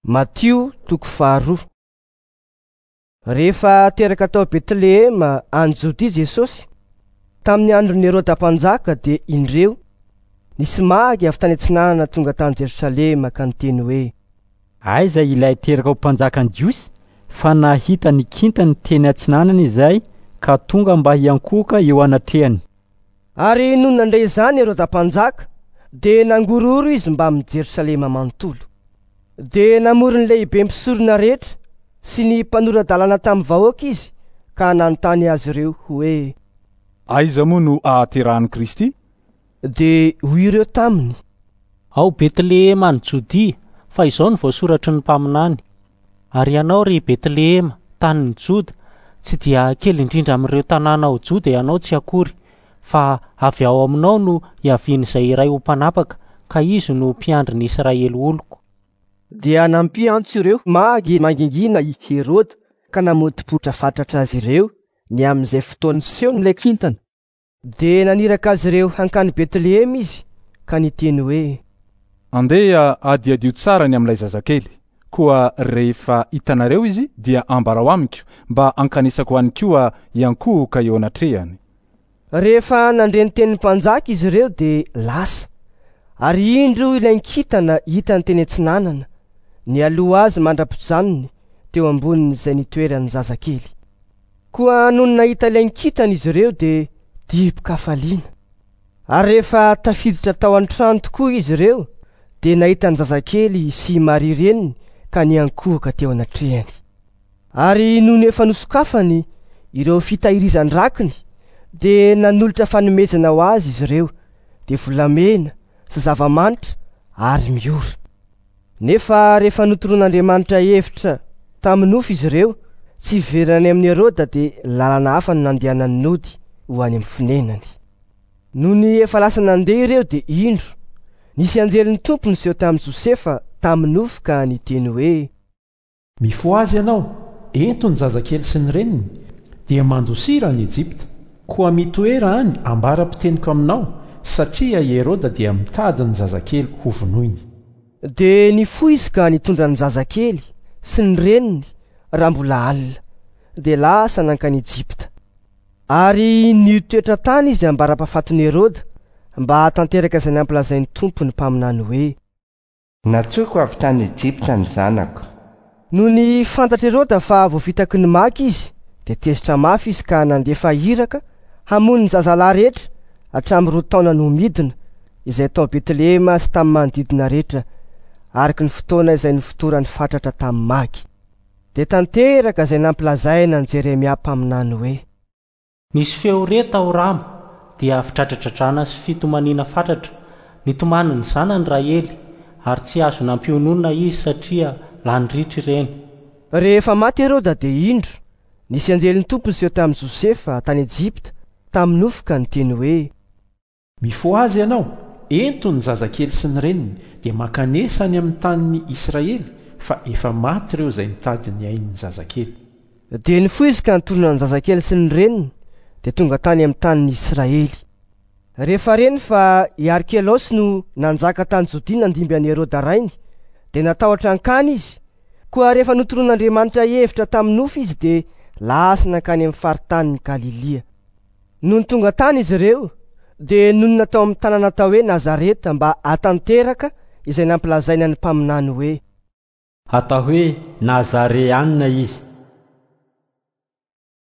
Matio toko faharoa. Rehefa teraka tao Betlehema any Jodia Jesosy, tamin'ny andron'i Heroda mpanjaka dia indreo, nisy magy avy tany atsinanana tonga tany Jerosalema ka niteny hoe: Aiza ilay teraka ho mpanjakan'ny Jiosy? Fa nahita ny kintany teny atsinanana izahay ka tonga mba hiankohoka eo anatrehany. Ary nony nandre izany Heroda mpanjaka, dia nangorohoro izy mbamin'i Jerosalema manontolo. Dia namory ny lehibe mpisorona rehetra sy ny mpanora-dalàna tamin'ny vahoaka izy ka nanontany azy ireo hoe: Aiza moa no ahaterahan'i Kristy? Dia hoy ireo taminy: Ao Betlehema any Jodia, fa izao no voasoratry ny mpaminany: Ary ianao, ry Betlehema, tanin'i Joda, tsy dia kely indrindra amin'ireo tanàna ao Joda ianao tsy akory, fa avy ao aminao no hiavian'izay iray ho mpanapaka, ka izy no mpiandry ny Israely oloko. Dia nampiantso ireo magy mangingina i Heroda ka namotopototra fatratra azy ireo ny amin'izay fotoana nisehoan'ilay kintana. Dia naniraka azy ireo hankany Betlehema izy ka niteny hoe: Andeha hadihadio tsara ny amin'ilay zazakely. Koa rehefa hitanareo izy dia ambarao amiko mba hankanesako any koa hiankohoka eo anatrehany. Rehefa nandre ny tenin'ny mpanjaka izy ireo dia lasa. Ary indro ilay kintana hitany teny atsinanana, nialoha azy mandra-pijanony teo ambonin'izay nitoeran'ny zazakely. Koa nony nahita ilay kintana izy ireo dia dibo-kafaliana. Ary rehefa tafiditra tao an-trano tokoa izy ireo dia nahita ny zazakely sy i Maria reniny ka niankohoka teo anatrehany. Ary nony efa nosokafany ireo fitahirizan-drakiny dia nanolotra fanomezana ho azy izy ireo, dia volamena sy zava-manitra ary miora. Nefa rehefa notoroan'Andriamanitra hevitra tamin'ny nofy izy ireo, tsy hiverina any amin'i Heroda dia lalana hafa no nandehanany nody ho any amin'ny fonenany. Nony efa lasa nandeha ireo dia indro, nisy anjelin'ny Tompo niseho tamin'i Josefa tamin'ny nofy ka niteny hoe: Mifohaza ianao, ento ny zazakely sy ny reniny, dia mandosira any Ejipta. Koa mitoera any ambara-piteniko aminao, satria i Heroda dia mitady ny zazakely hovonoiny. Dia nifoha izy ka nitondra ny zazakely sy ny reniny raha mbola alina, dia lasa nankany Ejipta. Ary nitoetra tany izy ambara-pahafatin'i Heroda, mba hahatanteraka izay nampilazain'ny Tompo ny mpaminany hoe: Nantsoiko avy tany Ejipta ny zanako. Nony fantatr'i Heroda fa voafitaky ny magy izy, dia tezitra mafy izy ka nandefa iraka hamono ny zazalahy rehetra hatramin'ny 2 taona no midina, izay tao Betlehema sy tamin'ny manodidina rehetra, araka ny fotoana izay nofotorany fatratra tamin'ny magy. Dia tanteraka izay nampilazaina an'i Jeremia mpaminany hoe: Nisy feo re tao Rama, dia fidradradradrana sy fitomaniana fatratra. Nitomany ny zanany Rahely, ary tsy azo nampiononina izy satria lany ritra ireny. Rehefa maty Heroda dia indro, nisy anjelin'ny Tompo niseho tamin'i Josefa tany Ejipta tamin'ny nofy ka niteny hoe: Mifohaza ianao, ento ny zazakely sy ny reniny, dia mankanesa any amin'ny tanin'ny Israely, fa efa maty ireo izay nitady ny ain'ny zazakely. Dia nifoha izy ka nitolona ny zazakely sy ny reniny, dia tonga tany amin'ny tanin'ny Israely. Rehefa reny fa i Arkelaosy no nanjaka tany Jodia nandimby an'i Heroda rainy, dia natahotra hankany izy. Koa rehefa notoroan'Andriamanitra hevitra tamin'ny nofy izy dia lasa nankany amin'ny faritanin'i Galilia. Nony tonga tany izy ireo, dia nonina tao amin'ny tanàna atao hoe Nazareta mba hahatanteraka izay nampilazaina ny mpaminany hoe: Atao hoe Nazareanina izy.